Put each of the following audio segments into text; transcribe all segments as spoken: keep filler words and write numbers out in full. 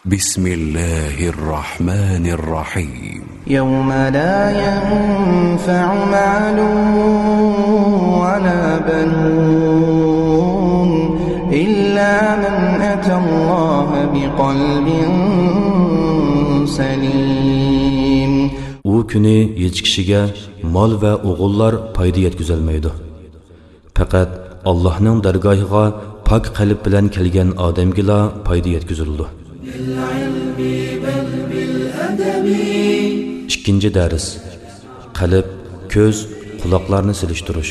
بسم الله الرحمن الرحيم. يوم لا ينفع مال ولا بنون إلا من أتى الله بقلب سليم. ئۇ كۈنى ھېچ كىشىگە مال ۋە ئوغۇللار پايدا يەتكۈزەلمەيدۇ. پەقەت ئاللاھنىڭ دەرگاھىغا پاك قەلب بىلەن كەلگەن ئادەمگىلا پايدا يەتكۈزۈلىدۇ. ئىككىنچى دەرس. قەلب، كۆز، قۇلاقلارنى سېلىشتۇرۇش.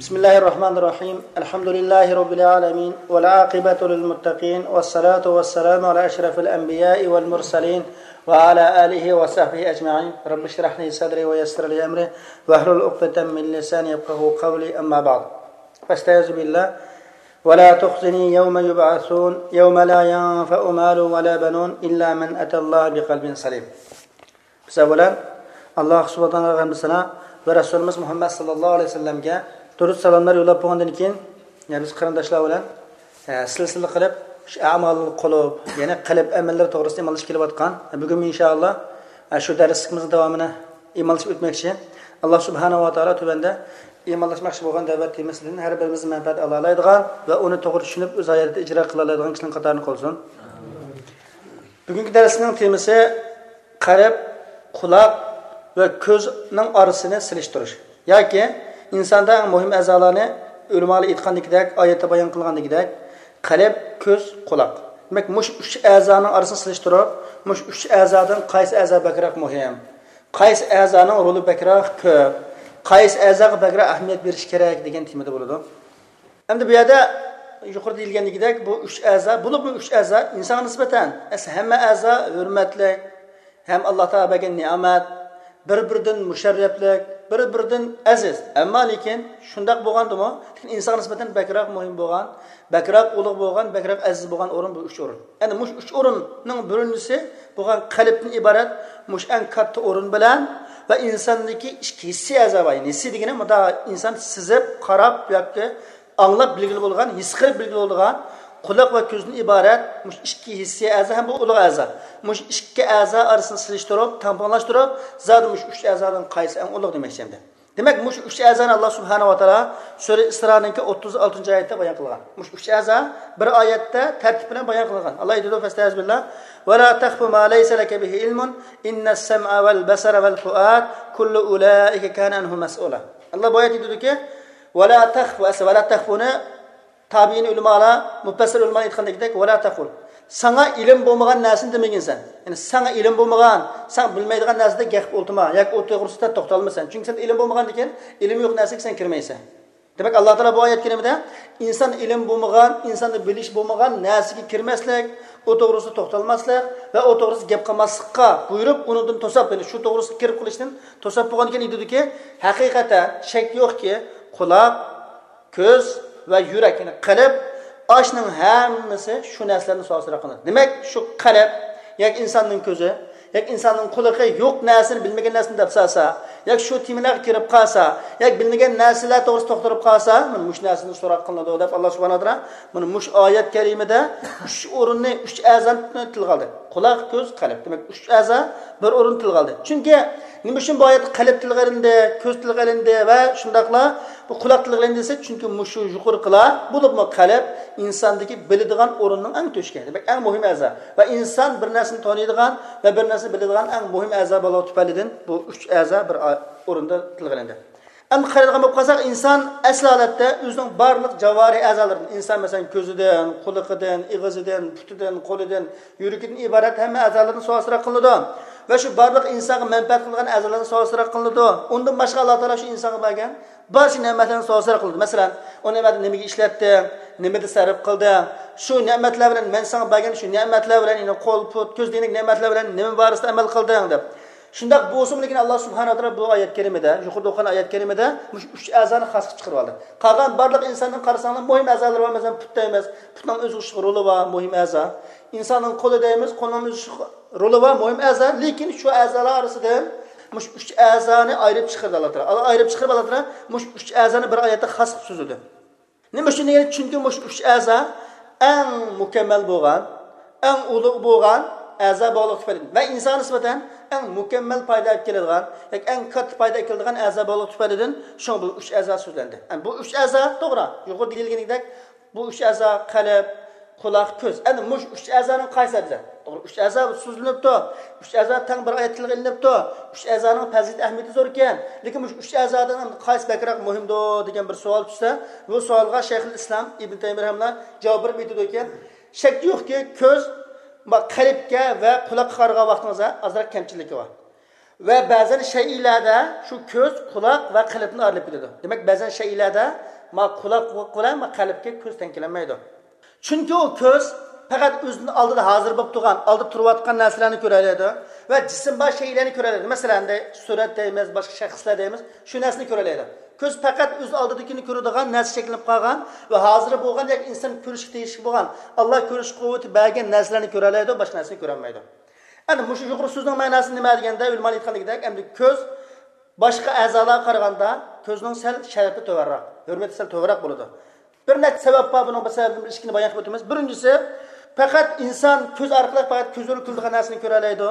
بسم الله الرحمن الرحيم. الحمد لله رب العالمين، والعاقبة للمتقين، والصلاة والسلام على أشرف الأنبياء والمرسلين، وعلى آله وصحبه أجمعين. رب اشرح لي صدري ويسر لي أمري واحلل عقدة من لساني يفقهوا قولي. أما بعد. فاستعذ بالله. ولا تخزني يوم يبعثون، يوم لا ينفع مال ولا بنون إلا من أتى الله بقلب سليم. بىز ئەۋۋەلەن ئاللاھ سۇبھانەھۇ ۋە تائالاغا ھەمدۇ سانا ۋە رەسۇلىمىز مۇھەممەد ساللاللاھۇ ئەلەيھى ۋەسەللەمگە دۇرۇد سالاملار يوللاپ بولغاندىن كېيىن، يەنە بىز قېرىنداشلار بىلەن، ئە، سىلسىلە قىلىپ شۇ ئەمال قۇلۇب، يەنى قەلب ئەمەللىرى توغرىسىدا ئىمانلىشىپ كېلىۋاتقان. بۈگۈنمۇ ئىنشائاللاھ، ئە، شۇ دەرسلىكىمىزنىڭ داۋامىنى ئىمانلىشىپ ئۆتمەكچى. ئاللاھ سۇبھانەھۇ ۋە تائالا تۆۋەندە ئىمانلاشماقچى بولغان دەۋەت تېمىسىدىن ھەر بىرىمىز مەنپەئەت ئالالايدىغان ۋە ئۇنى توغرا چۈشىنىپ ئۆز ھاياتىدا ئىجرا قىلالايدىغان كىشىلەرنىڭ قاتارىدا قىلسۇن. بۈگۈنكى دەرسنىڭ تېمىسى قەلب، قۇلاق ۋە كۆزنىڭ ئارىسىنى سېلىشتۇرۇش. ياكى ئىنساندا ئەڭ مۇھىم ئەزالارنى، ئۆلىمالار ئېيتقاندىكىدەك، ئايەتتە بايان قىلغاندىكىدەك، قەلب، كۆز، قۇلاق. دېمەك، مۇشۇ ئۈچ ئەزانىڭ ئارىسىنى سېلىشتۇرۇپ، مۇشۇ ئۈچ ئەزادىن قايسى ئەزا بەكرەك مۇھىم، قايسى ئەزانىڭ رولى بەكرەك كۆپ، قايسى ئەزاغا بەكرەك ئەھمىيەت بېرىش كېرەك دېگەن تېمىدا بولىدۇ. ئەمدى بۇ يەردە يۇقىرىدا دېيىلگەندىكىدەك، بۇ ئۈچ ئەزا، بولۇپمۇ ئۈچ ئەزا ئىنسانغا نىسبەتەن ئەسلى ھەممە ئەزا ھۆرمەتلىك، ھەم ئاللاھ تائالا بەرگەن نېمەت، بىر-بىرىدىن مۇشەررەپلىك، بىر-بىرىدىن ئەزىز. ئەمما لېكىن شۇنداق بولغاندىمۇ، لېكىن ئىنسانغا نىسبەتەن بەكرەك مۇھىم بولغان، بەكرەك ئۇلۇغ بولغان، بەكرەك ئەزىز بولغان ئورۇن بۇ ئۈچ ئورۇن. يەنى مۇشۇ ئۈچ ئورۇننىڭ بىرىنچىسى بولغان قەلبتىن ئىبارەت مۇشۇ ئەڭ كاتتا ئورۇن بىلەن ۋە ئىنساندىكى ئىچكى ھېسسىي ئەزا بار. يەنى ھېسسىي دېگىنى مۇنداق ئىنسان سېزىپ، قاراپ ياكى ئاڭلاپ بىلگىلى بولغان، ھېس قىلىپ بىلگىلى بولىدىغان قۇلاق ۋە كۆزدىن ئىبارەت مۇشۇ ئىككى ھېسسىي ئەزا ھەم بۇ ئۇلۇغ ئەزا. مۇشۇ ئىككى ئەزا ئارىسىنى سېلىشتۇرۇپ، تەڭپۇڭلاشتۇرۇپ، زادى مۇشۇ ئۈچ ئەزادىن قايسى ئەڭ ئۇلۇغ دېمەكچى ئەمدى. دېمەك، مۇشۇ ئۈچ ئەزانى ئاللاھ سۇبھانەھۇ ۋە تائالا سۈرە ئىسرانىڭكى ئوتتۇز ئالتىنچى ئايەتتە بايان قىلغان. مۇشۇ ئۈچ ئەزا بىر ئايەتتە تەرتىپ بىلەن بايان قىلغان. ئاللاھ ئېيتىدۇ، فەستەئىزبىللاھ، ۋە لا تەخفۇ ما لەيسە لەكە بىھى ئىلمۇن، ئىننەس سەمئە ۋەل بەسەرە ۋەل فۇئاد، كۇللۇ ئۇلائىكە كانە ئەنھۇ مەسئۇلا. ئاللاھ بۇ ئايەتتە ئېيتىدۇكى، ۋە لا تەخفۇ، ئەسلى ۋە لا تەخفۇنى تابىئىن ئۆلىمالار، مۇپەسسىر ئۆلىمالار ئېيتقاندەكدەك، ۋە لا تەخفۇ. ساڭا ئىلىم بولمىغان نەرسىنى دېمىگىن سەن. يەنى ساڭا ئىلىم بولمىغان، سەن بىلمەيدىغان نەرسىدە گەپ قىلىپ ئولتۇرما ياكى ئۇ توغرىسىدا توختالما سەن. چۈنكى سەن ئىلىم بولمىغاندىكىن، ئىلىم يوق نەرسىگە سەن كىرمەيسەن. دېمەك، ئاللاھ تائالا بۇ ئايەت كەرىمىدە ئىنسان ئىلىم بولمىغان، ئىنساندا بىلىش بولمىغان نەرسىگە كىرمەسلىك، ئۇ توغرىسىدا توختالماسلىق ۋە ئۇ توغرىسىدا گەپ قىلماسلىققا بۇيرۇپ، ئۇنىڭدىن توساپ، يەنى شۇ توغرىسىدا كىرىپ قېلىشتىن توساپ بولغاندىكىن ئېيتىدۇكى، ھەقىقەتەن شەك يوقكى، قۇلاق، كۆز ۋە يۈرەك، يەنى قەلب، ئاشۇنىڭ ھەممىسى شۇ نەرسىلەردىن سوئال-سوراق قىلىنىدۇ. دېمەك، شۇ قەلب ياكى ئىنساننىڭ كۆزى ياكى ئىنساننىڭ قۇلىقى يوق نەرسىنى، بىلمىگەن نەرسىنى دەپ سالسا، ياكى شۇ تېمىلارغا كىرىپ قالسا، ياكى بىلمىگەن نەرسىلەر توغرىسىدا توختىلىپ قالسا، مانا مۇشۇ نەرسىدىن سوراق قىلىنىدۇ دەپ، ئاللاھ سۇبھانەھۇ ۋە تائالا مانا مۇشۇ ئايەت كەرىمىدە ئۈچ ئورۇننى، ئۈچ ئەزانى تىلغا ئالدى. قۇلاق، كۆز، قەلب. دېمەك، ئۈچ ئەزا بىر ئورۇن تىلغا ئالدى. چۈنكى نېمە ئۈچۈن بۇ ئايەتتە قەلب تىلغا ئېلىندى، كۆز تىلغا ئېلىندى ۋە شۇنداقلا بۇ قۇلاق تىلغا ئېلىندى دېسە، چۈنكى مۇشۇ يۇقىرىقىلار، بولۇپمۇ قەلب ئىنساندىكى بىلىدىغان ئورۇننىڭ ئەڭ تۆشۈكى. دېمەك، ئەڭ مۇھىم ئەزا. ۋە ئىنسان بىر نەرسىنى تونۇيدىغان ۋە بىر نەرسىنى بىلىدىغان ئەڭ مۇھىم ئەزا بولغان تۈپەيلىدىن بۇ ئۈچ ئەزا بىر ئا-، ئورۇندا تىلغا ئېلىندى. ئەمدى قارايدىغان بولۇپ قالساق، ئىنسان ئەسلى ھالەتتە ئۆزىنىڭ بارلىق جاۋارىھ ئەزالىرىدىن، ئىنسان مەسىلەن، كۆزىدىن، قۇلىقىدىن، ئېغىزىدىن، پۇتىدىن، قولىدىن، يۈرىكىدىن ئىبارەت ھەممە ئەزالاردىن سوئال-سوراق قىلىنىدۇ. ۋە شۇ بارلىق ئىنسانغا مەنپەئەت قىلىدىغان ئەزالاردىن سوئال-سوراق قىلىنىدۇ. ئۇندىن باشقا ئاللاھ تائالا شۇ ئىنسانغا بەرگەن بارچە نېمەتلەردىن سوئال-سوراق قىلىنىدۇ. مەسىلەن، ئۇ نېمەتنى نېمىگە ئىشلەتتىڭ، نېمىدە سەرپ قىلدىڭ، شۇ نېمەتلەر بىلەن، مەن ساڭا بەرگەن شۇ نېمەتلەر بىلەن، يەنى قول، پۇت، كۆز دېگەندەك نېمەتلەر بىلەن نېمە بارىسىدا ئەمەل قىلدىڭ دەپ. شۇنداق بولسىمۇ، لېكىن ئاللاھ سۇبھانەھۇ ۋە تائالا بۇ ئايەت كەرىمىدە، يۇقىرىدا ئوقۇغان ئايەت كەرىمىدە مۇشۇ ئۈچ ئەزانى خاس قىلىپ چىقىرىۋالدى. قالغان بارلىق ئىنساننىڭ قارىساڭلار مۇھىم ئەزالىرى بار، مەسىلەن، پۇت دەيمىز، پۇتنىڭ ئۆزىگە رولى بار، مۇھىم ئەزا. ئىنساننىڭ قولى دەيمىز، قولنىڭ ئۆزىگە رولى بار، مۇھىم ئەزا. لېكىن شۇ ئەزالار ئارىسىدىن مۇشۇ ئۈچ ئەزانى ئايرىپ چىقىرىدۇ ئاللا تائالا. ئايرىپ چىقىرىپ ئاللا تائالا مۇشۇ ئۈچ ئەزانى بىر ئايەتتە خاس قىلىپ سۆزلىدى. نېمە ئۈچۈن دېگەندە، چۈنكى مۇشۇ ئۈچ ئەزا ئەڭ مۇكەممەل بولغان، ئەڭ ئۇلۇغ بولغان ئەزا بولغانلىقى تۈپەيلىدىن ۋە ئىنسانغا نىسبەتەن ئەڭ مۇكەممەل پايدا ئەكېلىدىغان ياكى ئەڭ كاتتا پايدا ئەكېلىدىغان ئەزا بولغانلىقى تۈپەيلىدىن شۇڭا بۇ ئۈچ ئەزا سۆزلەندى. يەنى بۇ ئۈچ ئەزا توغرا، يۇقىرىدا دېيىلگىنىدەك، بۇ ئۈچ ئەزا قەلب، قۇلاق، كۆز. ئەنە مۇشۇ ئۈچ ئەزانىڭ قايسى ئەزا؟ توغرا، ئۈچ ئەزا سۆزلىنىپتۇ. ئۈچ ئەزا تەڭ بىر ئايەت تىلغا ئېلىنىپتۇ. ئۈچ ئەزانىڭ پەزىلىتى، ئەھمىيىتى زور ئىكەن. لېكىن مۇشۇ ئۈچ ئەزادىن قايسى بەكرەك مۇھىمدۇ دېگەن بىر سوئال چۈشسە، بۇ سوئالغا شەيخۇل ئىسلام ئىبن تەيمىيە رەھىمەھۇللا جاۋاب بېرىپ ئېيتىدۇكى، شەك يوقكى، كۆز، ما، قەلبكە ۋە قۇلاققا قارىغان ۋاقتىڭىزدا ئازراق كەمچىلىكى بار. ۋە بەزەن شەيئىلەردە شۇ كۆز، قۇلاق ۋە قەلبتىن ئايرىلىپ كېتىدۇ. دېمەك، بەزەن شەيئىلەردە ما قۇلاق بىلەن ما قەلبكە كۆز تەڭ كېلەلمەيدۇ. چۈنكى ئۇ كۆز پەقەت ئۆزىنىڭ ئالدىدا ھازىر بولۇپ تۇرغان، ئالدىدا تۇرۇۋاتقان نەرسىلەرنى كۆرەلەيدۇ ۋە جىسىم بار شەيئىلەرنى كۆرەلەيدۇ. مەسىلەن، سۈرەت دەيمىز، باشقا شەخسلەر دەيمىز، شۇ نەرسىنى كۆرەلەيدۇ. كۆز پەقەت ئۆز ئالدىدىكىنى كۆرىدىغان، نەرسە شەكىللىنىپ قالغان ۋە ھازىر بولغان ياكى ئىنسان كۆرۈشكە تېگىشلىك بولغان، ئاللا كۆرۈش قۇۋۋىتى بەرگەن نەرسىلەرنى كۆرەلەيدۇ، باشقا نەرسىنى كۆرەلمەيدۇ. ئەنە مۇشۇ يۇقىرى سۆزنىڭ مەناسى نېمە دېگەندە، ئۆلىمالار ئېيتقاندىكىدەك، ئەمدى كۆز باشقا ئەزالارغا قارىغاندا كۆزنىڭ سەل شەرىپى تۆۋەنرەك، ھۆرمىتى سەل تۆۋەنرەك بولىدۇ. بىر نەچچە سەۋەب بار بۇنىڭ، بىر سەۋەبتىن بىر ئىككىنى بايان قىلىپ ئۆتىمىز. بىرىنچىسى، پەقەت ئىنسان كۆز ئارقىلىق پەقەت كۆزلىرى كۆرىدىغان نەرسىنى كۆرەلەيدۇ.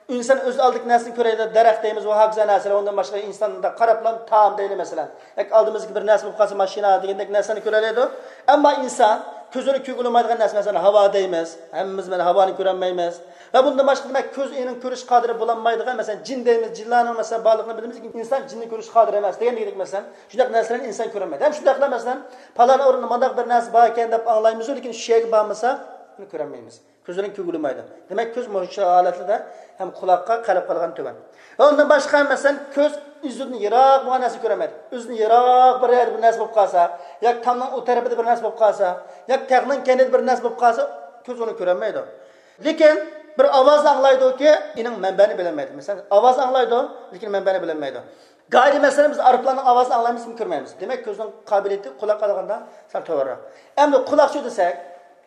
ئىنسان ئۆز ئالدىدىكى نەرسىنى كۆرەلەيدۇ، دەرەخ دەيمىز ۋە ھاكازا نەرسىلەر، ئۇندىن باشقا ئىنساندا قاراپلا تائام دەيلى مەسىلەن. ياكى ئالدىمىزدىكى بىر نەرسە بولۇپ قالسا، ماشىنا دېگەندەك نەرسىلەرنى كۆرەلەيدۇ. ئەمما ئىنسان كۆزلىرى كۆرگىلى بولمايدىغان نەرسە، مەسىلەن، ھاۋا دەيمىز. ھەممىمىز مانا ھاۋانى كۆرەلمەيمىز. ۋە بۇندىن باشقا، دېمەك، كۆز ئېنىڭ كۆرۈش قادىرى بولالمايدىغان، مەسىلەن، جىن دەيمىز، جىنلارنىڭ، مەسىلەن، بارلىقىنى بىلىمىز، لېكىن ئىنسان جىننى كۆرۈش قادىر ئەمەس دېگەندەك، مەسىلەن، شۇنداق نەرسىلەرنى ئىنسان كۆرەلمەيدۇ. ھەم شۇنداقلا، مەسىلەن، پالان ئورۇندا مۇنداق بىر نەرسە بار ئىكەن دەپ ئاڭلايمىزۇ، لېكىن شۇ يەرگە بارمىسا، ئۇنى كۆرەلمەيمىز. كۆزلىرىنى كۆرگىلى بولمايدۇ. دېمەك، كۆز مۇشۇ ھالەتلەردە ھەم قۇلاققا، قەلب قارىغان تۆۋەن. ۋە ئۇندىن باشقا، مەسىلەن، كۆز ئۆزىدىن يىراق بولغان نەرسە كۆرەلمەيدۇ. ئۆزىدىن يىراق بىر يەردە بىر نەرسە بولۇپ قالسا، ياكى تامنىڭ ئۇ تەرىپىدە بىر نەرسە بولۇپ قالسا، ياكى تاغنىڭ كەينىدە بىر نەرسە بولۇپ قالسا، كۆز ئۇنى كۆرەلمەيدۇ. لېكىن بىر ئاۋازنى ئاڭلايدۇكى، ئېنىڭ مەنبەنى بىلەلمەيدۇ. مەسىلەن، ئاۋاز ئاڭلايدۇ، لېكىن مەنبەنى بىلەلمەيدۇ. گاھىدا، مەسىلەن، بىز ئايروپىلاننىڭ ئاۋازىنى ئاڭلايمىز، لېكىن كۆرمەيمىز. دېمەك، كۆزنىڭ قابىلىيىتى قۇلاققا قارىغاندا سەل تۆۋەنرەك. ئەمدى قۇلاقچۇ دېسەك،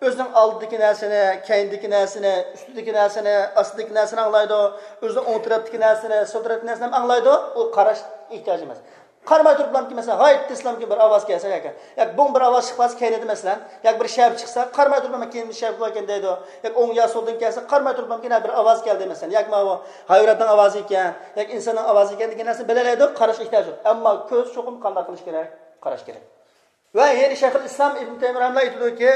ئۆزىنىڭ ئالدىدىكى نەرسىنى، كەينىدىكى نەرسىنى، ئۈستىدىكى نەرسىنى، ئاستىدىكى نەرسىنى ئاڭلايدۇ. ئۆزىنىڭ ئوڭ تەرەپتىكى نەرسىنى، سول تەرەپتىكى نەرسىنى ھەم ئاڭلايدۇ. ئۇ قاراش ئېھتىياجى ئەمەس. قارىماي تۇرۇپلامكى، مەسىلەن، ھايت دېسىلامكى بىر ئاۋاز كەلسە ياكى، ياكى بوڭ بىر ئاۋاز چىقىپ قالسا كەينىدە، مەسىلەن، ياكى بىر شەپە چىقسا، قارىماي تۇرۇپلام كەينىدە شەپە باركەن دەيدۇ. ياكى ئوڭ يا سولدىن كەلسە، قارىماي تۇرۇپلامكى بىر ئاۋاز كەلدى، مەسىلەن، ياكى ماۋۇ ھايۋاناتنىڭ ئاۋازى ئىكەن، ياكى ئىنساننىڭ ئاۋازى ئىكەن دېگەن نەرسىنى بىلەلەيدۇ، قاراش ئېھتىياجى يوق. ئەمما كۆز چوقۇم قانداق قىلىش كېرەك؟ قاراش كېرەك. ۋە يەنە شەيخۇل ئىسلام ئىبن تەيمىيە رەھىمەھۇللا ئېيتىدۇكى،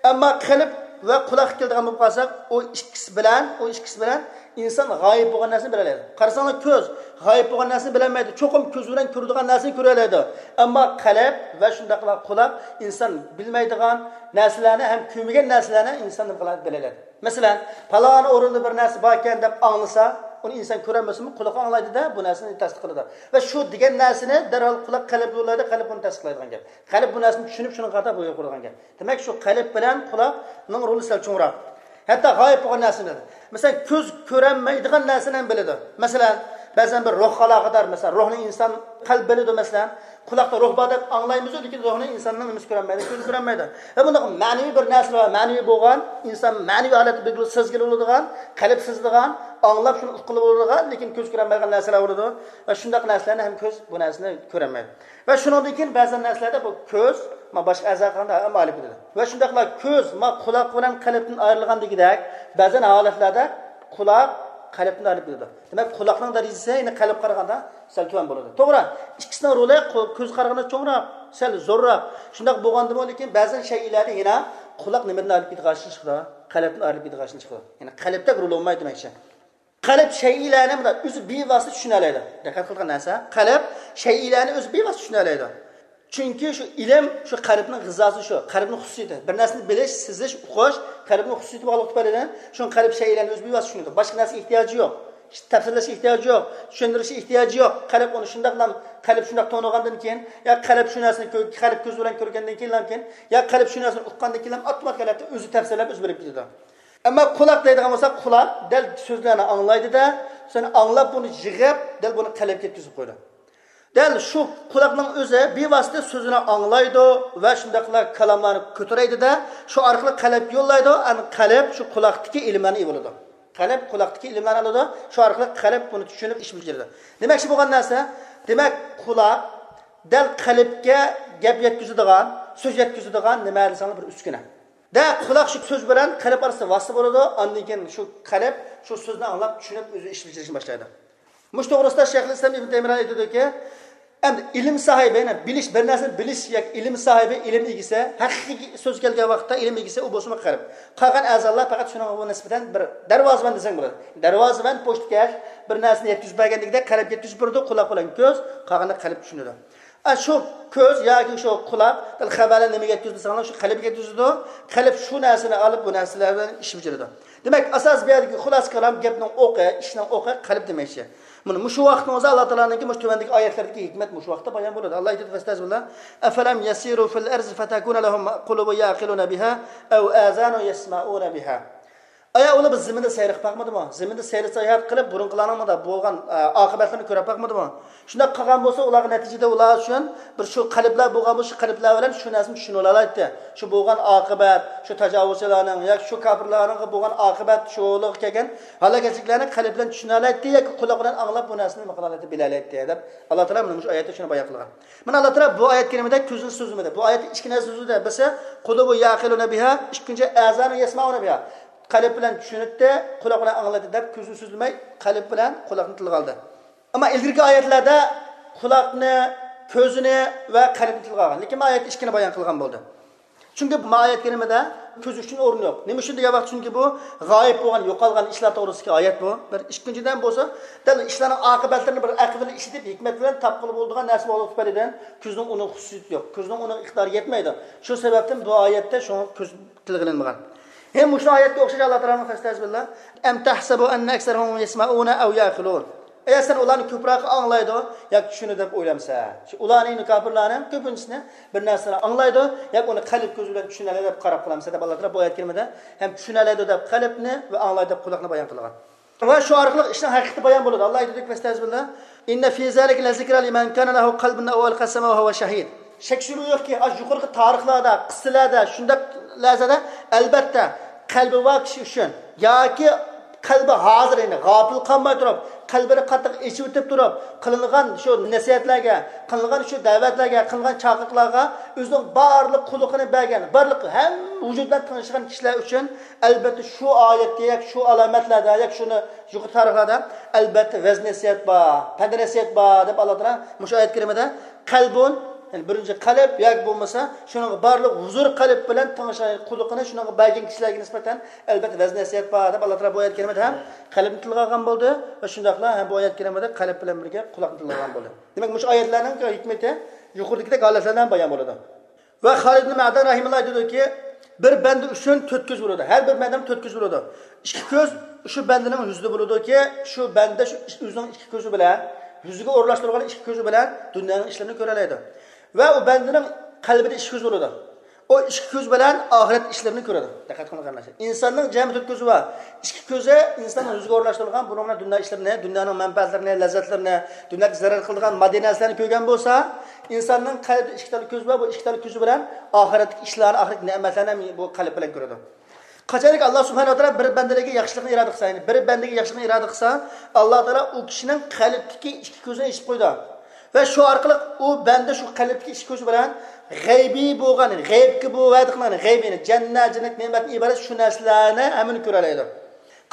ئەمما قەلب ۋە قۇلاققا كېلىدىغان بولۇپ قالساق، ئۇ ئىككىسى بىلەن، ئۇ ئىككىسى بىلەن ئىنسان غايىب بولغان نەرسىنى بىلەلەيدۇ. قارىساڭلار، كۆز غايىب بولغان نەرسىنى بىلەلمەيدۇ. چوقۇم كۆزى بىلەن كۆرىدىغان نەرسىنى كۆرەلەيدۇ. ئەمما قەلب ۋە شۇنداقلا قۇلاق ئىنسان بىلمەيدىغان نەرسىلەرنى ھەم كۆرمىگەن نەرسىلەرنى ئىنسان نېمە قىلىدۇ؟ بىلەلەيدۇ. مەسىلەن، پالان ئورۇندا بىر نەرسە باركەن دەپ ئاڭلىسا، ئۇنى ئىنسان كۆرەلمىسىمۇ، قۇلىقى ئاڭلايدۇ-دە، بۇ نەرسىنى تەستىقلايدۇ. ۋە شۇ دېگەن نەرسىنى دەرھال قۇلاق قەلبكە يوللايدۇ، قەلب بۇنى تەستىقلايدىغان گەپ. قەلب بۇ نەرسىنى چۈشىنىپ، شۇنىڭغا قارىتا بۇيرۇق بېرىدىغان گەپ. دېمەك، شۇ قەلب بىلەن قۇلاقنىڭ رولى سەل چوڭراق. ھەتتا غايىب بولغان نەرسىنى بىلىدۇ. مەسىلەن، كۆز كۆرەلمەيدىغان نەرسىنى ھەم بىلىدۇ. مەسىلەن، بەزەن بىر روھقا ئالاقىدار، مەسىلەن، روھنى ئىنسان قەلب بىلىدۇ، مەسىلەن، قۇلاقتا روھ بار دەپ ئاڭلايمىزۇ، لېكىن روھنى ئىنساننىڭ نېمىسى كۆرەلمەيدۇ، كۆزى كۆرەلمەيدۇ. ۋە بۇنداق مەنىۋى بىر نەرسىلەر بار، مەنىۋى بولغان، ئىنسان مەنىۋى ھالەتتە بىلگىلى، سەزگىلى بولىدىغان، قەلب سېزىدىغان، ئاڭلاپ شۇنى ئۇققىلى بولىدىغان، لېكىن كۆز كۆرەلمەيدىغان نەرسىلەر بولىدۇ. ۋە شۇنداق نەرسىلەرنى ھەم كۆز بۇ نەرسىنى كۆرەلمەيدۇ. ۋە شۇنىڭدىن كېيىن بەزى نەرسىلەردە بۇ كۆز، ما، باشقا ئەزاغا قارىغاندا ھەم ئايرىلىپ كېتىدۇ. ۋە شۇنداقلا كۆز، ما، قۇلاق بىلەن قەلبتىن ئايرىلغاندىكىدەك، بەزەن ھالەتلەردە قۇلاق قەلبتىن ئايرىلىپ كېتىدۇ. دېمەك، قۇلاقنىڭ دەرىجىسى يەنە قەلبكە قارىغاندا سەل تۆۋەن بولىدۇ. توغرا، ئىككىسىنىڭ رولى قۇ-، كۆزگە قارىغاندا چوڭراق، سەل زورراق. شۇنداق بولغاندىمۇ، لېكىن بەزەن شەيئىلەردە يەنە قۇلاق نېمىدىن ئايرىلىپ كېتىدىغان ئىشلار، قەلبتىن ئايرىلىپ كېتىدىغان ئىشلار. يەنى قەلبتەك رول ئوينىمايدۇ دېمەكچى. قەلب شەيئىلەرنى مۇنداق ئۆزى بىۋاسىتە چۈشىنەلەيدۇ. دىققەت قىلغان نەرسە، قەلب شەيئىلەرنى ئۆزى بىۋاسىتە چۈشىنەلەيدۇ. چۈنكى شۇ ئىلىم، شۇ قەلبنىڭ غىزاسى شۇ. قەلبنىڭ خۇسۇسىيىتى. بىر نەرسىنى بىلىش، سېزىش، ئۇقۇش، قەلبنىڭ خۇسۇسىيىتى بولغانلىقى تۈپەيلىدىن، شۇڭا قەلب شەيئىلەرنى ئۆزى بىۋاسىتە چۈشىنىدۇ. باشقا نەرسىگە ئېھتىياجى يوق. تەپسىللەشكە ئېھتىياجى يوق. چۈشەندۈرۈشكە ئېھتىياجى يوق. قەلب ئۇنى شۇنداقلا، قەلب شۇنداق تونۇغاندىن كېيىن، يا قەلب شۇ نەرسىنى كۆ-، قەلب كۆزى بىلەن كۆرگەندىن كېيىن، يا قەلب شۇ نەرسىنى ئۇققاندىن كېيىن، ئاپتوماتىك ھالەتتە ئۆزى تەپسىللەپ، ئۆزى بىلىپ كېتىدۇ. ئەمما قۇلاق دەيدىغان بولساق، قۇلاق دەل سۆزلەرنى ئاڭلايدۇ-دە، سۆزنى ئاڭلاپ، بۇنى يىغىپ، دەل بۇنى قەلبكە يەتكۈزۈپ قويىدۇ. دەل شۇ قۇلاقنىڭ ئۆزى بىۋاسىتە سۆزنى ئاڭلايدۇ ۋە شۇنداقلا كالاملارنى كۆتۈرەيدۇ-دە، شۇ ئارقىلىق قەلبكە يوللايدۇ، ئەنە قەلب شۇ قۇلاقتىكى ئىلىملارنى ئىگە بولىدۇ. قەلب قۇلاقتىكى ئىلىملارنى ئالىدۇ، شۇ ئارقىلىق قەلب بۇنى چۈشىنىپ ئىش بېجىرىدۇ. دېمەكچى بولغان نەرسە، دېمەك، قۇلاق دەل قەلبكە گەپ يەتكۈزىدىغان، سۆز يەتكۈزىدىغان نېمە دېسەڭلار بىر ئۈسكۈنە. دە قۇلاق شۇ سۆز بىلەن قەلب ئارىسىدا ۋاسىتە بولىدۇ، ئاندىن كېيىن شۇ قەلب شۇ سۆزنى ئاڭلاپ، چۈشىنىپ، ئۆزى ئىش بېجىرىشنى باشلايدۇ. مۇشۇ توغرىسىدا شەيخۇل ئىسلام ئىبن تەيمىيە ئېيتىدۇكى، ئەمدى ئىلىم ساھىبى، يەنى بىلىش، بىر نەرسىنى بىلىش ياكى ئىلىم ساھىبى، ئىلىم ئىگىسى، ھەقىقىي سۆز كەلگەن ۋاقىتتا ئىلىم ئىگىسى ئۇ بولسىمۇ قەلب. قالغان ئەزالار پەقەت شۇنىڭغا نىسبەتەن بىر دەرۋازىۋەن دېسەڭ بولىدۇ. دەرۋازىۋەن، پوچتىكەش، بىر نەرسىنى يەتكۈزۈپ بەرگەندىكىدە قەلب يەتكۈزۈپ بېرىدۇ، قۇلاق بىلەن كۆز، قالغىنىنى قەلب چۈشىنىدۇ. ئە، شۇ كۆز ياكى شۇ قۇلاق خەۋەرلەرنى نېمىگە يەتكۈزىدۇ دېسەڭلار، شۇ قەلبكە يەتكۈزىدۇ. قەلب شۇ نەرسىنى ئالىپ، بۇ نەرسىلەر بىلەن ئىش بېجىرىدۇ. دېمەك، ئاساس بۇ يەردىكى خۇلاسە كالام، گەپنىڭ ئوقى، ئىشنىڭ ئوقى قەلب دېمەكچى. مانا مۇشۇ ۋاقتىڭىزدا ئاللا تائالانىڭكى مۇشۇ تۆۋەندىكى ئايەتلەردىكى ھېكمەت مۇشۇ ۋاقىتتا بايان بولىدۇ. ئاللا ئېيتىدۇ، فەستەزبىللا، ئەفەلەم يەسىرۇ فىل ئەرزى فەتەكۇنە لەھۇم قۇلۇبۇ يەقىلۇنە بىھا ئەۋ ئازانۇ يەسمەئۇنە بىھا. ئايا ئۇلار بىز زېمىندا سەير قىلىپ باقمىدىمۇ؟ زېمىندا سەير ساياھەت قىلىپ، بۇرۇنقىلارنىڭ مۇنداق بولغان، ئە، ئاقىۋەتلىرىنى كۆرۈپ باقمىدىمۇ؟ شۇنداق قىلغان بولسا، ئۇلارغا نەتىجىدە ئۇلار ئۈچۈن بىر شۇ قەلبلەر بولغان بولسا، شۇ قەلبلەر بىلەن شۇ نەرسىنى چۈشىنىۋالالايتتى. شۇ بولغان ئاقىۋەت، شۇ تاجاۋۇزچىلارنىڭ ياكى شۇ كاپىرلارنىڭ بولغان ئاقىۋەت، شۇ يولىغا كەلگەن ھالاكەتچىلىكلەرنى قەلب بىلەن چۈشىنەلەيتتى ياكى قۇلاق بىلەن ئاڭلاپ، بۇ نەرسىنى نېمە قىلالايتتى، بىلەلەيتتى دەپ ئاللا تائالا مانا مۇشۇ ئايەتتە شۇنى بايان قىلغان. مانا ئاللا تائالا بۇ ئايەت كەرىمىدە كۆزنى سۆزلىمىدى. بۇ ئايەتتە ئىككى نەرسە سۆزلىدى. بىرسى، قۇلۇبۇ يەقىلۇنە بىھا، ئىككىنچى، ئازانۇ يەسمەئۇنە بىھا. قەلب بىلەن چۈشىنەتتى، قۇلاق بىلەن ئاڭلايتتى دەپ كۆزنى سۆزلىمەي، قەلب بىلەن قۇلاقنى تىلغا ئالدى. ئەمما ئىلگىرىكى ئايەتلەردە قۇلاقنى، كۆزنى ۋە قەلبنى تىلغا ئالغان. لېكىن بۇ ئايەتتە ئىككىنى بايان قىلغان بولدى. چۈنكى بۇ ئايەت كەرىمىدە كۆز ئۈچۈن ئورۇن يوق. نېمە ئۈچۈن دېگەن ۋاقىت، چۈنكى بۇ غايىب بولغان، يوقالغان ئىشلار توغرىسىدىكى ئايەت بۇ. بىر. ئىككىنچىدىن بولسا، دەل ئىشلارنىڭ ئاقىۋەتلىرىنى بىر ئەقىل بىلەن ئىشلىتىپ، ھېكمەت بىلەن تاپقىلى بولىدىغان نەرسە بولغان تۈپەيلىدىن كۆزنىڭ ئۇنىڭ خۇسۇسىيىتى يوق. كۆزنىڭ ئۇنىڭ ئىقتىدارى يەتمەيدۇ. شۇ سەۋەبتىن بۇ ئايەتتە شۇڭا كۆز تىلغا ئېلىنمىغان. ھەم مۇشۇ ئايەتكە ئوخشاش ئاللا تائالانىڭ، فەستەزبىللا، ئەم تەھسەبۇ ئەننە ئەكسەرەھۇم يەسمەئۇنە ئەۋ يەئقىلۇن. ئەگەر سەن ئۇلارنى كۆپرەك ئاڭلايدۇ ياكى چۈشىنىدۇ دەپ ئويلامسەن؟ شۇ ئۇلارنى، كاپىرلارنى كۆپىنچىسىنى بىر نەرسىنى ئاڭلايدۇ ياكى ئۇنى قەلب كۆزى بىلەن چۈشىنەلەيدۇ دەپ قاراپ قالامسەن دەپ ئاللا تائالا بۇ ئايەت كەرىمىدە ھەم چۈشىنەلەيدۇ دەپ قەلبنى ۋە ئاڭلايدۇ دەپ قۇلاقنى بايان قىلغان. ۋە شۇ ئارقىلىق ئىشنىڭ ھەقىقىتى بايان بولىدۇ. ئاللا ئېيتىدۇ، فەستەزبىللا، ئىننە فى زالىكە لەزىكرا لىمەن كانە لەھۇ قەلبۇن ئەۋ ئەلقەس سەمعەھۇ ۋەھۇۋە شەھىد. شەك-شۈبھە يوقكى، ئاشۇ يۇقىرىقى تارىخلاردا، قىسسىلەردە، شۇنداق لەرزىدە، ئەلبەتتە، قەلبى بار كىشى ئۈچۈن ياكى قەلبى ھازىر، يەنى غاپىل قالماي تۇرۇپ، قەلبىنى قاتتىق ئېچىۋېتىپ تۇرۇپ، قىلىنغان شۇ نەسىھەتلەرگە، قىلىنغان شۇ دەۋەتلەرگە، قىلىنغان چاقىرىقلارغا ئۆزىنىڭ بارلىق قۇلىقىنى بەرگەن، بارلىق ھەممە ۋۇجۇدى بىلەن تىڭشىغان كىشىلەر ئۈچۈن، ئەلبەتتە، شۇ ئايەتتە ياكى شۇ ئالامەتلەردە ياكى شۇنى يۇقىرى تارىخلاردا، ئەلبەتتە، ۋەز نەسىھەت بار، پەند نەسىھەت بار، دەپ ئاللا تائالا مۇشۇ ئايەت كەرىمىدە قەلبۇن، يەنى بىرىنچى قەلب ياكى بولمىسا شۇنىڭغا بارلىق ھۇزۇر قەلب بىلەن تىڭشىغان قۇلىقىنى شۇنىڭغا بەرگەن كىشىلەرگە نىسبەتەن، ئەلبەتتە، ۋەز نەسىھەت بار، دەپ ئاللا تائالا بۇ ئايەت كەرىمىدە ھەم قەلبنى تىلغا ئالغان بولدى ۋە شۇنداقلا ھەم بۇ ئايەت كەرىمىدە قەلب بىلەن بىرگە قۇلاقنى تىلغا ئالغان بولدى. دېمەك، مۇشۇ ئايەتلەرنىڭ ھېكمىتى يۇقىرىدىكىدەك ھالەتلەردە ھەم بايان بولىدۇ. ۋە خالىد ئىبن مەدەن رەھىمەھۇللا ئېيتىدۇكى، بىر بەندە ئۈچۈن تۆت كۆز بولىدۇ. ھەر بىر بەندىنىڭ تۆت كۆزى بولىدۇ. ئىككى كۆز شۇ بەندىنىڭ يۈزىدە بولىدۇكى، شۇ بەندە شۇ ئۆزىنىڭ ئىككى كۆزى بىلەن، يۈزىگە ئورۇنلاشتۇرغان ئىككى كۆزى بىلەن دۇنيانىڭ ئىشلىرىنى كۆرەلەيدۇ. ۋە ئۇ بەندىنىڭ قەلبىدە ئىككى كۆز بولىدۇ. ئۇ ئىككى كۆز بىلەن ئاخىرەت ئىشلىرىنى كۆرىدۇ. دىققەت قىلىڭ، قېرىنداشلار. ئىنساننىڭ جەمئىي تۆت كۆزى بار. ئىككى كۆزى ئىنساننىڭ يۈزىگە ئورۇنلاشتۇرۇلغان، بۇنىڭ بىلەن دۇنيا ئىشلىرىنى، دۇنيانىڭ مەنپەئەتلىرىنى، لەززەتلىرىنى، دۇنياغا زەرەر قىلىدىغان ماددىي نەرسىلەرنى كۆرگەن بولسا، ئىنساننىڭ قەلبىدە ئىككى تال كۆزى بار، بۇ ئىككى تال كۆزى بىلەن ئاخىرەتتىكى ئىشلارنى، ئاخىرەتتىكى نېمەتلەرنى ھەم بۇ قەلب بىلەن كۆرىدۇ. قاچانكى ئاللا سۇبھانەھۇ ۋە تائالا بىر بەندىلەرگە ياخشىلىقنى ئىرادە قىلسا، يەنى بىر بەندىگە ياخشىلىقنى ئىرادە قىلسا، ئاللا تائالا ئۇ كىشىنىڭ قەلبىدىكى ئىككى كۆزىنى ئېچىپ قويىدۇ. ۋە شۇ ئارقىلىق ئۇ بەندە شۇ قەلبىدىكى ئىككى كۆزى بىلەن غەيبىي بولغان، غەيىبكە بۇ ۋەدە قىلىنغان غەيبىي، يەنى جەننەت، جەننەتتىن ئىبارەت شۇ نەرسىلەرنى ھەممىنى كۆرەلەيدۇ.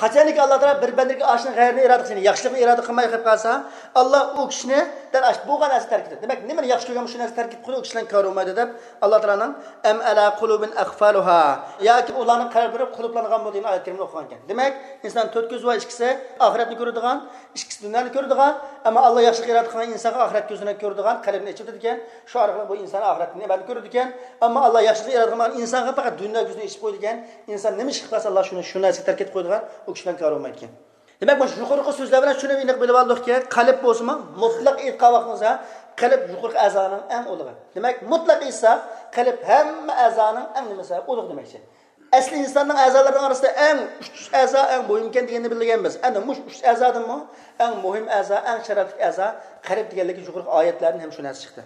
قاچانكى ئاللا تائالا بىر بەندىگە ئاشۇنىڭ غەيرىنى ئىرادە قىلسا، يەنى ياخشىلىقنى ئىرادە قىلماي قېلىپ قالسا، ئاللا ئۇ كىشىنى دەل ئاشۇ بولغان نەرسە تەرك ئېتىدۇ. دېمەك، نېمىنى ياخشى كۆرگەن شۇ نەرسە تەرك ئېتىپ قويىدۇ، ئۇ كىشىلەرنىڭ كارى بولمايدۇ دەپ ئاللا تائالانىڭ ئەم ئەلا قۇلۇبىن ئەقفالۇھا ياكى ئۇلارنىڭ قەلبلىرى قۇلۇپلانغانمۇ دېگەن ئايەت كەرىمىنى ئوقۇغان ئىكەن. دېمەك، ئىنسان تۆت كۆزى بار، ئىككىسى ئاخىرەتنى كۆرىدىغان، ئىككىسى دۇنيانى كۆرىدىغان، ئەمما ئاللا ياخشىلىق ئىرادە قىلغان ئىنسانغا ئاخىرەت كۆزىنى كۆرىدىغان، قەلبىنى ئېچىۋېتىدىكەن، شۇ ئارقىلىق بۇ ئىنسان ئاخىرەتنى ئەبەدىي كۆرىدىكەن. ئەمما ئاللا ياخشىلىق ئىرادە قىلمىغان ئىنسانغا پەقەت دۇنيا كۆزىنى ئېچىپ قويىدىكەن. ئىنسان نېمە ئىش قىلسا، ئاللا شۇنى، شۇ نەرسىگە تەرك ئېتىپ قويىدىغان، ئۇ كىشىلەرنىڭ كارى بولمايدىكەن. دېمەك، مانا شۇ يۇقىرىقى سۆزلەر بىلەن شۇنى ئېنىق بىلىپ ئالدۇقكى، قەلب بولسىمۇ مۇتلەق ئېيتقان ۋاقتىمىزدا، قەلب يۇقىرىقى ئەزانىڭ ئەڭ ئۇلۇغى. دېمەك، مۇتلەق ئېيتساق، قەلب ھەممە ئەزانىڭ ئەڭ نېمىسى، ئۇلۇغ دېمەكچى. ئەسلى ئىنساننىڭ ئەزالىرىنىڭ ئارىسىدا ئەڭ ئۈچ ئەزا ئەڭ مۇھىمكەن دېگەننى بىلگەنمىز. ئەنە مۇشۇ ئۈچ ئەزادىنمۇ ئەڭ مۇھىم ئەزا، ئەڭ شەرەپلىك ئەزا قەلب دېگەنلىكى يۇقىرىقى ئايەتلەردىن ھەم شۇ نەرسە چىقتى.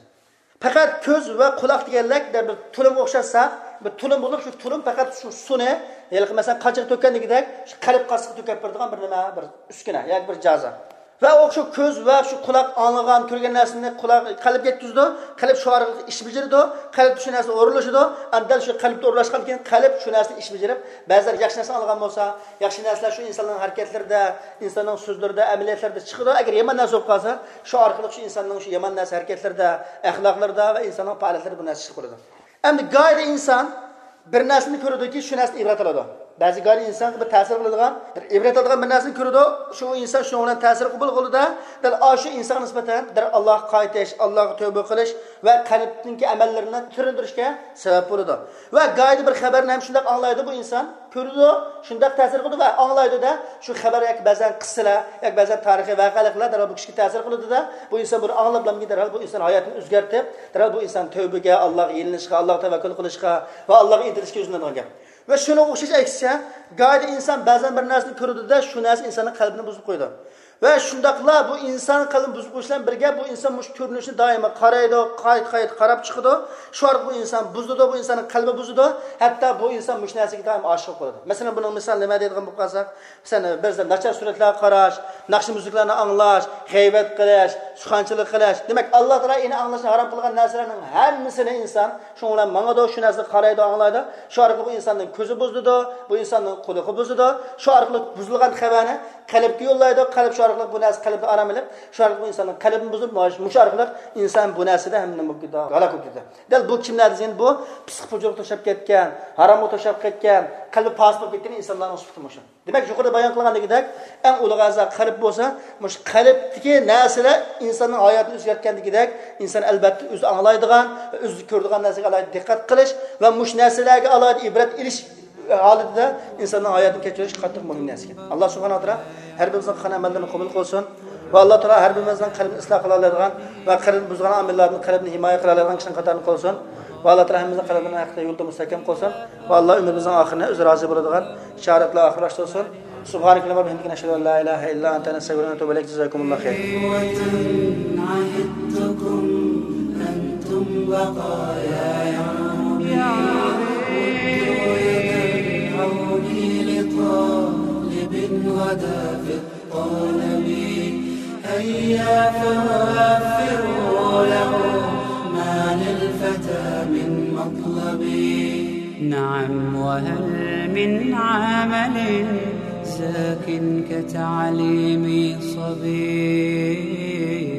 پەقەت كۆز ۋە قۇلاق دېگەنلەر بىر تۇلۇمغا ئوخشاتساق، بىر تۇلۇم بولۇپ، شۇ تۇلۇم پەقەت شۇ سۇنى، ھېلىقى مەسىلەن، قاچىغا تۆككەندىكىدەك، شۇ قەلب قاسىغا تۆكۈپ بېرىدىغان بىر نېمە، بىر ئۈسكۈنە ياكى بىر جازا. ۋە ئۇ شۇ كۆز ۋە شۇ قۇلاق ئاڭلىغان، كۆرگەن نەرسىنى قۇلاق، قەلبكە يەتكۈزىدۇ، قەلب شۇ ئارقىلىق ئىش بېجىرىدۇ، قەلب شۇ نەرسىنى ئورۇنلىشىدۇ. ئەمدى دەل شۇ قەلبتە ئورۇنلاشقاندىن كېيىن قەلب شۇ نەرسىنى ئىش بېجىرىپ، بەزىلەر ياخشى نەرسىنى ئاڭلىغان بولسا، ياخشى نەرسىلەر شۇ ئىنساننىڭ ھەرىكەتلىرىدە، ئىنساننىڭ سۆزلىرىدە، ئەمەلىيەتلىرىدە چىقىدۇ. ئەگەر يامان نەرسە بولۇپ قالسا، شۇ ئارقىلىق شۇ ئىنساننىڭ شۇ يامان نەرسە ھەرىكەتلىرىدە، ئەخلاقلىرىدا ۋە ئىنساننىڭ پائالىيەتلىرىدە بۇ نەرسە چىقىپ قالىدۇ. ئەمدى گاھىدا ئىنسان بىر نەرسىنى كۆرىدۇكى، شۇ نەرسىدىن ئىبرەت ئالىدۇ. بەزى گاھىدا ئىنسانغا بىر تەسىر قىلىدىغان، بىر ئىبرەت ئالىدىغان بىر نەرسىنى كۆرىدۇ، شۇ ئىنسان شۇنىڭ بىلەن تەسىر قوبۇل قىلىدۇ-دە، دەل ئاشۇ ئىنسانغا نىسبەتەن دەل ئاللاغا قايتىش، ئاللاغا تەۋبە قىلىش ۋە قەلبتىكى ئەمەللىرىنى تىرىلدۈرۈشكە سەۋەب بولىدۇ. ۋە گاھىدا بىر خەۋەرنى ھەم شۇنداق ئاڭلايدۇ بۇ ئىنسان، كۆرىدۇ، شۇنداق تەسىر قىلىدۇ ۋە ئاڭلايدۇ-دە، شۇ خەۋەر ياكى بەزەن قىسسىلەر ياكى بەزەن تارىخىي ۋەقەلىكلەر دەرھال بۇ كىشىگە تەسىر قىلىدۇ-دە، بۇ ئىنسان بۇنى ئاڭلاپلامكىن، دەرھال بۇ ئىنسان ھاياتىنى ئۆزگەرتىپ، دەرھال بۇ ئىنسان تەۋبىگە، ئاللاغا يېلىنىشقا، ئاللاغا تەۋەككۈل قىلىشقا ۋە ئاللاغا ئىنتىلىشقا يۈزلىنىدىغان گەپ. ۋە شۇنىڭغا ئوخشاش ئەكسىچە، گاھىدا ئىنسان بەزەن بىر نەرسىنى كۆرىدۇ-دە، شۇ نەرسە ئىنساننىڭ قەلبىنى بۇزۇپ قويىدۇ. ۋە شۇنداقلا بۇ ئىنسان قەلبىنى بۇزۇپ قويۇش بىلەن بىرگە، بۇ ئىنسان مۇشۇ كۆرۈنۈشنى دائىما قارايدۇ، قايتا-قايتا قاراپ چىقىدۇ. شۇ ئارقىلىق بۇ ئىنسان بۇزۇلىدۇ، بۇ ئىنساننىڭ قەلبى بۇزۇلىدۇ. ھەتتا بۇ ئىنسان مۇشۇ نەرسىگە دائىم ئاشىق بولىدۇ. مەسىلەن، بۇنىڭ مىسالى نېمە دەيدىغان بولۇپ قالساق، مەسىلەن، بەزىدە ناچار سۈرەتلەرگە قاراش، ناخشا مۇزىكىلارنى ئاڭلاش، غەيۋەت قىلىش، سۇخەنچىلىك قىلىش. دېمەك، ئاللا تائالا ئېنى ئاڭلاشنى ھارام قىلغان نەرسىلەرنىڭ ھەممىسىنى ئىنسان شۇنىڭ بىلەن ماڭىدۇ، شۇ نەرسىنى قارايدۇ، ئاڭلايدۇ. شۇ ئارقىلىق بۇ ئىنساننىڭ كۆزى بۇزۇلىدۇ، بۇ ئىنساننىڭ قۇلىقى بۇزۇلىدۇ. شۇ ئارقىلىق بۇزۇلغان خەۋەرنى قەلبكە يوللايدۇ، قەلب شۇ ئارقىلىق بۇ نەرسە قەلبىدە ئارام ئېلىپ، شۇ ئارقىلىق بۇ ئىنساننىڭ قەلبىنى بۇزۇپ، مۇش-، مۇشۇ ئارقىلىق ئىنسان بۇ نەرسىدە ھەم نېمە بولۇپ كېتىدۇ؟ ھالاك بولۇپ كېتىدۇ. دەل بۇ كىملەر دېسەڭ، بۇ پىسقى پۇجۇرغا توشاپ كەتكەن، ھارامغا توشاپ كەتكەن، قەلبى پاسىق بولۇپ كەتكەن ئىنسانلارنىڭ سۈپىتى مۇشۇ. دېمەك، يۇقىرىدا بايان قىلغاندىكىدەك، ئەڭ ئۇلۇغ ئەزا قەلب بولسا، مۇشۇ قەلبتىكى نەرسىلەر ئىنساننىڭ ھاياتىنى ئۆزگەرتكەندىكىدەك، ئىنسان ئەلۋەتتە ئۆزى ئاڭلايدىغان ۋە ئۆزى كۆرىدىغان نەرسىگە ئالاھىدە دىققەت قىلىش ۋە مۇشۇ نەرسىلەرگە ئالاھىدە ئىبرەت ئېلىش ھالىتىدە ئىنساننىڭ ھاياتىنى كەچۈرۈش قاتتىق مۇھىم نەرسە ئىكەن. ئاللا سۇبھانەھۇ ۋە تائالا ھەر بىرىمىزنىڭ قىلغان ئەمەللىرىنى قوبۇل قىلسۇن ۋە ئاللا تائالا ھەر بىرىمىزنىڭ قەلبىنى ئىسلاھ قىلالايدىغان ۋە قەلبىنى بۇزغان ئامىللاردىن قەلبىنى ھىمايە قىلالايدىغان كىشىنىڭ قاتارىدا قىلسۇن. ۋە ئاللا تائالا ھەممىمىزنى قەلبىنى ھەقىقىي يولدا مۇستەھكەم قىلسۇن. ۋە ئاللا ئۆمرىمىزنىڭ ئاخىرىنى ئۆزى رازى بولىدىغان شاھادەت بىلەن ئاخىرلاشتۇرسۇن. سبحانك اللهم وبحمدك، نشهد أن لا إله إلا أنت، نستغفرك ونتوب إليك. جزاكم الله خيرا. عهدتكم أنتم بقايا يا ربي. ردوا يد العون لطالب غدا في الطلب. هيا فوفروا له ما للفتى من مطلب. نعم، وهل من عمل زاك كتعليم صبي؟